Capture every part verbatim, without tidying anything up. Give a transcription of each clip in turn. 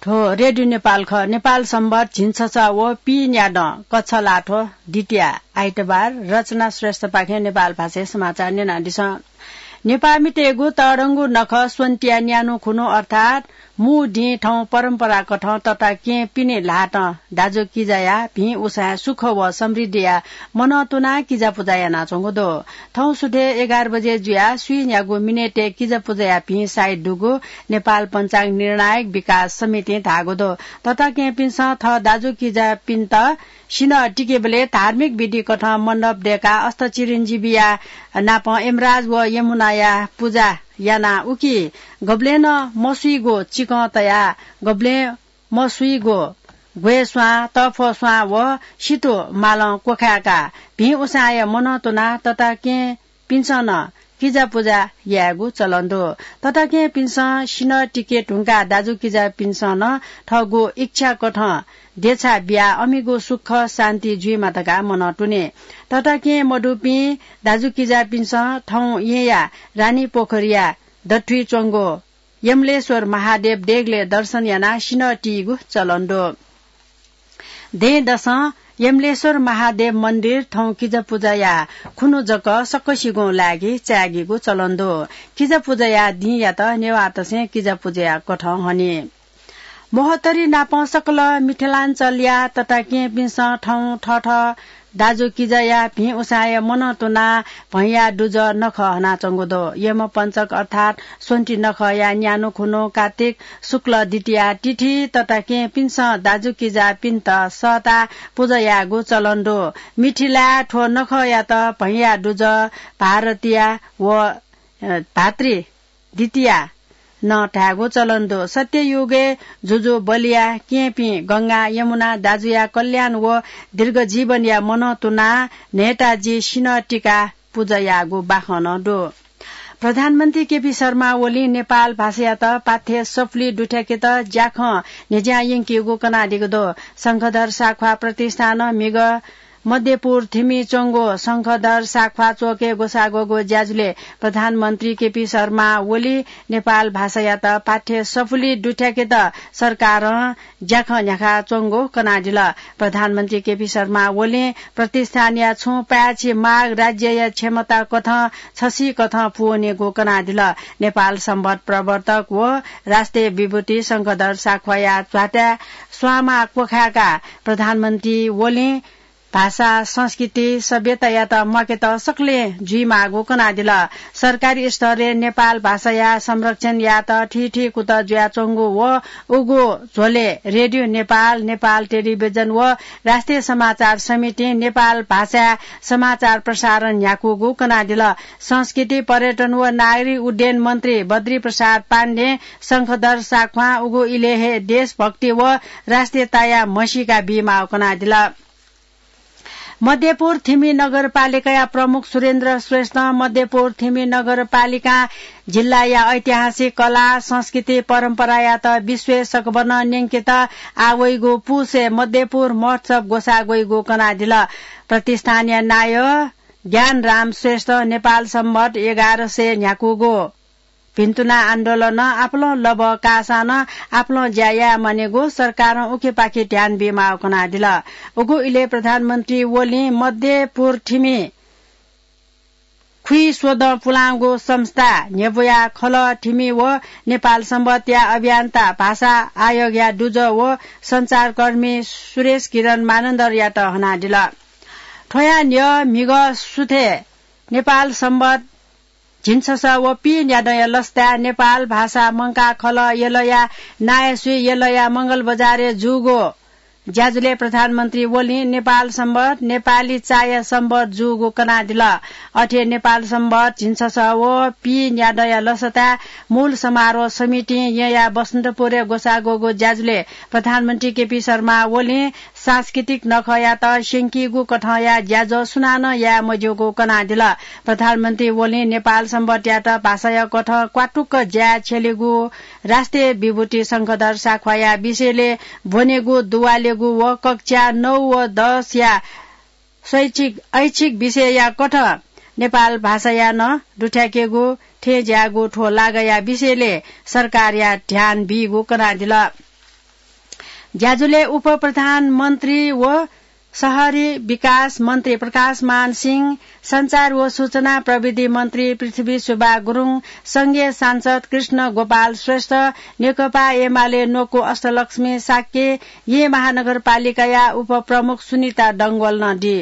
थ्व रेडियो नेपाल खः। नेपाल संवत झिंछसः व पीन्यादँ कछलाथ्व द्वितीया आइतबार। रचना श्रेष्ठपाखें नेपाल भाषाय् समाचार न्यनादिसँ। नेपाःमितय्गु तःधंगु नखः स्वन्तिया न्यान्हु खुन्हु अर्थात् मू दिं थौं परम्पराकथं तताकेहेँ पिने ल्हातं दाजुकिजाया भिं उसाँय् सुख व समृद्धिया मनंतुनाः किजापुजा यानाच्वंगु दु। थौं सुथय् एघार बजे जुयाः स्वीन्यागू मिनेटय् किजापुजाया भिं साइत दुगु नेपाल पञ्चाङ्ग निर्णायक विकास समितिं धाःगु दु। तताकेहेँपिन्सं थः दाजुकिजापिन्त सिन्हः तिकेबलय् धार्मिक विधिकथं मण्डप दय्काः अष्टचिरञ्जीविया नापं यमराज व यमुनाया पुजा यानाः उकी गबलें नं मसुइगु चिकं तयाः गबलें मसुइगु ग्वय् स्वां, तःफ्वः स्वां व सितु मालं क्वखाय्काः भिं उसाँय् मनंतुनाः तताकेहेँपिन्सं नं किजापुजा यायेगु चलन दु। तताकेहेँपिन्सं सिन्हः तिके धुंकाः दाजुकिजापिन्सं नं थःगु इच्छाकथं देछाः बियाः अमिगु सुख शान्ति जुइमा धकाः मनंतुनी। तताकेहेँ मदुपिं दाजुकिजापिन्सं थौं येँया रानीपोखरीया दथुइ च्वंगु यमलेश्वर महादेव देगलय् दर्शन यानाः सिन्हः तीगु चलन दु। दँय्‌दसं यमलेश्वर महादेव मन्दिर थौं किजापुजाया खुन्हु जक सकसिगुं लागिं चाय्‌गीगु चलन दु। किजापुजाया दिंयात नेवाःतय्सं किजापुजाया कथं हनी। महोत्तरी नापं सकल मिथिलाञ्चलया तताकेहेँपिन्सं थौं थःथः दाजुकिजाया भिं उसाँय् मनंतुनाः भैंया दुजः नखः हनाच्वंगु दु। यमपञ्चक अर्थात् स्वन्ति नखःया न्यान्हु खुन्हु कार्तिक शुक्ल द्वितीया तिथि तताकेहेँपिन्सं दाजुकिजापिन्त सःताः पुजा यायेगु चलन दु। मिथिलाय् थ्व नखःयात भैंया दुजः भारतीया व, अ, भातृ द्वितीया नं धायेगु चलन दु। सत्ययुगय् जुजु बलिया केहेँपिं गंगा, यमुना दाजुया कल्याण व दीर्घ जीवनया मनंतुनाः न्हय्ताजि सिन्हः तिकाः पुजा याःगु बाखं नं दु। प्रधानमन्त्री केपी शर्मा ओलीं नेपाल भाषायात पाठ्य सफुली दुथ्याकेत ज्याखँ न्ह्यज्यां यंकीगु कनादीगु दु। शंखधर साख्वाः प्रतिष्ठानं म्हिगः मध्यपुर थिमि च्वंगु शंखधर साख्वाः च्वकय् ग्वसाः ग्वःगु ज्याझ्वलय् प्रधानमन्त्री केपी शर्मा ओली नेपाल भाषायात पाठ्य सफुली दुथ्याकेत सरकारं ज्याखँ न्ह्याकाच्वंगु कनादिल। प्रधानमन्त्री केपी शर्मा ओलीं प्रतिष्ठानया छुं पाय्छि माग राज्यया क्षमता कथं छसिकथं पूवनेगु कनादिल। नेपाल संवत प्रवर्तक व राष्ट्रिय विभूति शंखधर साख्वाःया ध्वाथाय् स्वांमाः क्वखाय्काः प्रधानमन्त्री ओलीं भाषा, संस्कृति, सभ्यतायात म्वाकेत सकलें जुइमाःगु कनादिल। सरकारी स्तरय् नेपाल भाषाया संरक्षण यायेत थीथी कुतः जुयाच्वंगु व उगु झ्वलय् रेडियो नेपाल, नेपाल टेलिभिजन व राष्ट्रिय समाचार समितिं नेपाल भाषाय् समाचार प्रसारण न्ह्याकूगु कनादिल। संस्कृति, पर्यटन व नागरिक उड्डयन मन्त्री बद्री प्रसाद पाण्डें शंखधर साख्वां उगु इलय् हे देशभक्ति व राष्ट्रियताया म्हसीका बीमाःगु कनादिल। मध्यपुर थिमि नगरपालिकाया प्रमुख सुरेन्द्र श्रेष्ठं मध्यपुर थिमि नगरपालिकां जिल्लाया ऐतिहासिक कला, संस्कृति, परम्परायात विश्वय् सकभनं न्यंकेत आः वइगु पुसय् मध्यपुर महोत्सव ग्वसाः ग्वइगु कनादिल। प्रतिष्ठानया नायः ज्ञानराम श्रेष्ठं नेपाल संवत एघार सय न्ह्याकूगु भिन्तुना आन्दोलनं आपालं लबः काःसां नं आपालं ज्या याये मानिगु, सरकारं उखेपाखे ध्यान बीमाःगु कनादिल। उगु इलय् प्रधानमन्त्री ओलीं मध्यपुर थिमि खुइस्वदँ पुलांगु संस्था न्ह्यब्वया खलः थिमि व नेपाल संवतया अभियन्ता भाषा आयोगया दुजः व सञ्चारकर्मी सुरेश किरण मानन्धरयात हनादिल। थ्वया न्ह्यः म्हिगः सुथय् नेपाल संवत झिंछसः व पीन्यादँया लसताय् नेपाल भाषा मंकाः खलः यलया नायःसुइ यलया मंगलबजारय् जूगु ज्याझ्वलय् प्रधानमन्त्री ओलीं नेपाल संवत नेपाली चाःया संवत जूगु कनादिल। अथे नेपाल संवत झिंछसः व पीन्यादँया लसताय् मूल समारोह समितिं येँया बसन्तपुरय् ग्वसाः ग्वःगु ज्याझ्वलय् प्रधानमन्त्री केपी शर्मा ओलीं सांस्कृतिक नखःयात स्यंकीगु कथंया ज्याझ्वः सुनानं याये मज्यूगु कनादिल। प्रधानमन्त्री ओलीं नेपाल संवतयात भाषाया कथं क्वातुक्क ज्याय् छ्यलेगु, राष्ट्रिय विभूति शंखधर साख्वाःया विषयलय् ब्वनेगु दुवालेगु व कक्षा नौ व दसया शैक्षिक, ऐच्छिक विषयया कथं नेपाल भाषाया नं दुथ्याकेगु, थें ज्याःगु थ्व लागाया विषयलय् सरकारया ध्यान बीगु कनादिल। ज्याझ्वलय् उपप्रधानमन्त्री व शहरी विकास मन्त्री प्रकाशमान सिंह, सञ्चार व सूचना प्रविधि मन्त्री पृथ्वी सुब्बा गुरुङ, संघीय सांसद कृष्ण गोपाल श्रेष्ठ, नेकपा एमाले न्वकू अष्टलक्ष्मी शाक्य, येँ महानगरपालिकाया उपप्रमुख सुनिता डंगोल नं दी।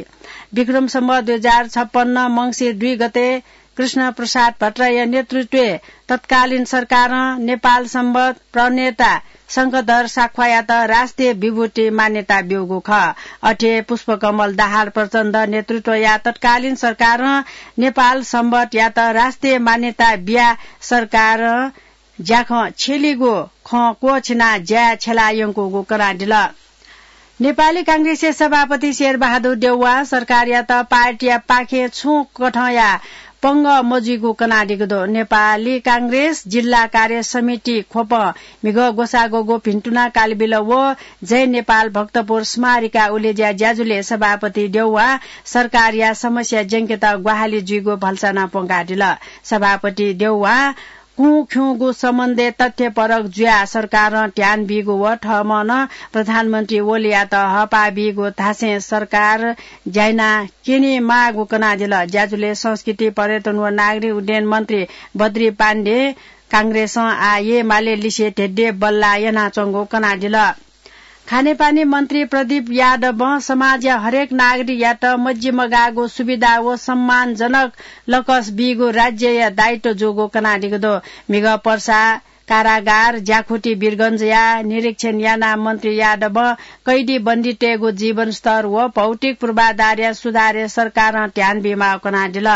विक्रम सम्वत दुई हजार छप्पन्न मंसिर दुई गते कृष्ण प्रसाद भट्टराईया नेतृत्वय् तत्कालीन सरकारं नेपाल संवत प्रणेता शंखधर साख्वायात राष्ट्रिय विभूति मान्यता ब्यूगु खः। अथे पुष्पकमल दाहाल प्रचण्ड नेतृत्वया तत्कालीन सरकारं नेपाल संवतयात राष्ट्रिय मान्यता बियाः सरकारं ज्याखँ छ्यलीगु खँ क्वःछिनाः ज्याय् छ्यला यंकूगु कनादिल। नेपाली कांग्रेसया सभापति शेरबहादुर देउवां सरकारयात पार्टीया पाखें छुं कथंया पंगः मजुइगु कनादीगु दु। नेपाली कांग्रेस जिल्ला कार्य समिति ख्वपं म्हिगः ग्वसाः ग्वःगु भिन्तुना कालबिल व जय नेपाल भक्तपुर स्मारिका उलेज्या ज्याझ्वलय् सभापति देउवां सरकारया समस्या ज्यंकेत ग्वाहालि जुइगु भलसा नं प्वंकादिल। सभापति देउवां कुँ ख्यूगु सम्बन्धय् तथ्यपरक जुयाः सरकारं ध्यान बीगु व थःम्हं नं प्रधानमन्त्री ओलीयात हःपाः बीगु धासें सरकार ज्या याना क्यनेमाःगु कनादिल। ज्याझ्वलय् संस्कृति, पर्यटन व नागरिक उड्डयन मन्त्री बद्री पाण्डे कांग्रेसं आः येँ माले लिसे धेंधें बल्लाः यानाच्वंगु कनादिल। खानेपानी मन्त्री प्रदीप यादवं समाजया हरेक नागरिकयात मजिमगाःगु सुविधा व सम्मानजनक लकस बीगु राज्यया दायित्व जूगु कनादीगु दु। म्हिगः पर्सा कारागार ज्याखुति वीरगञ्जया निरीक्षण यानाः मन्त्री यादवं कैदी बन्दीतय्गु जीवनस्तर व भौतिक पूर्वाधारया सुधारय् सरकारं ध्यान बीमाःगु कनादिल।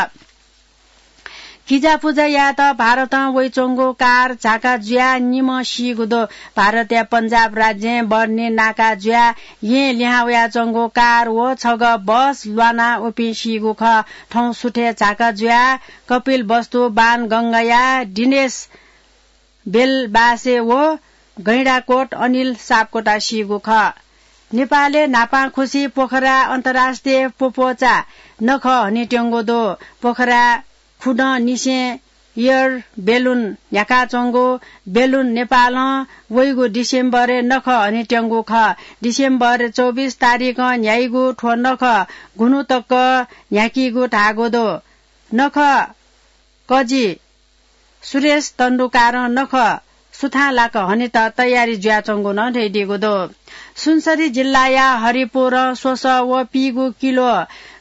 किजापुजा यायेत भारतं वइच्वंगु कार झाका जुयाः निम्ह सीगु दु। भारतया पञ्जाब राज्यं बर्नी नाका जुयाः येँ लिहां वयाच्वंगु कार व छगः बस ल्वानाः उपिं सीगु खः। थौं सुथय् झाका जुयाः कपिलवस्तु बाणगंगाया दिनेश बेलबासे व गैंडाकोट अनिल सापकोटा सीगु खः। नेपालय् न्हापांखुसी पोखरा अन्तर्राष्ट्रिय प्वप्वचा नखः हनेत्यंगु दु। पोखरा खुदँ निसें एयर बेलुन न्ह्याकाच्वंगु बेलुन नेपालं वइगु डिसेम्बरय् नखः हनेत्यंगु खः। डिसेम्बर चौबिस तारिखं न्ह्याइगु थ्व नखः गुन्हु तक न्ह्याकीगु धाःगु दु। नखः कजि सुरेश तण्डुकारं नखः सुथांलाक हनेत तयारी जुयाच्वंगु नं धयादीगु दु। सुनसरी जिल्लाया हरिपुरं स्वसः व पीगू किलो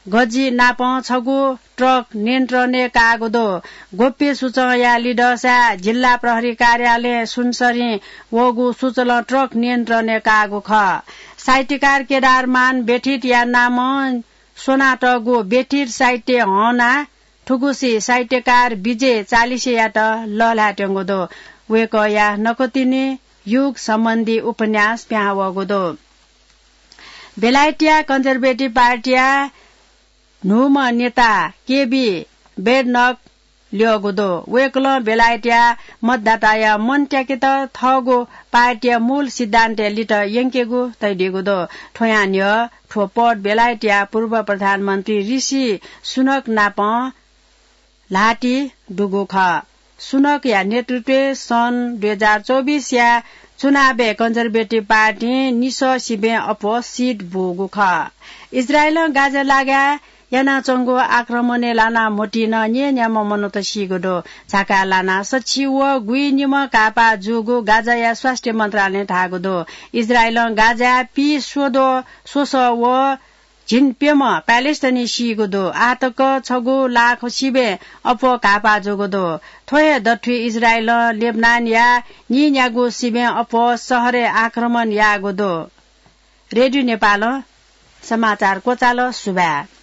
गजि नापं छगू ट्रक नियन्त्रणय् काःगु दु। गोप्य सूचंया लिधंसाय् जिल्ला प्रहरी कार्यालयं सुनसरीं वःगु सुचलं ट्रक नियन्त्रणय् काःगु खः। साहित्यकार केदारमान बेथितया नामं स्वनातःगु बेथित साहित्य हःनाः थुगुसी साहित्यकार विजय चालिसेयात लःल्हायेत्यंगु दु। वय्कःया नकतिनि युग सम्बन्धी उपन्यास पिहां वःगु दु। बेलायतया कन्जर्भेटिभ पार्टीया न्हूम्ह नेता केबी बेडनक ल्यःगु दु। वय्कलं बेलायतया मतदाताया मन त्याकेत थःगु पार्टीया मूल सिद्धान्तय् लित यंकेगु तयादीगु दु। थ्वयां न्ह्यः थ्व पद बेलायतया पूर्व प्रधानमन्त्री ऋषि सुनक नाप ल्हातिइ दुगु खः। सुनकया नेतृत्वय् सन् दुई हजार चौबिसया चुनावय् कन्जर्भेटिभ पार्टीं निसः सिबें अप्वः सिट बूगु खः। इजरायलं गाजा लागाय् यानाच्वंगु आक्रमणय् लानाः म्होतिं न्यय्न्याम्ह मनूत सीगु दु। झाकाय् लानाः सछि व गुइनिम्ह घाःपाः जूगु गाजाया स्वास्थ्य मन्त्रालयं धाःगु दु। इजरायलं गाजाय् पीस्वद्वः स्वसः व झिंप्यम्ह प्यालेस्टाइनी सीगु दु। आःतक छगू लाख सिबें अप्वः घाःपाः जूगु दु। थ्व हे दथुइ इजरायलं लेबनानया नीन्यागू सिबें अप्वः शहरय् आक्रमण याःगु दु। रेडियो नेपालं समाचार क्वचाल। सुभाय्।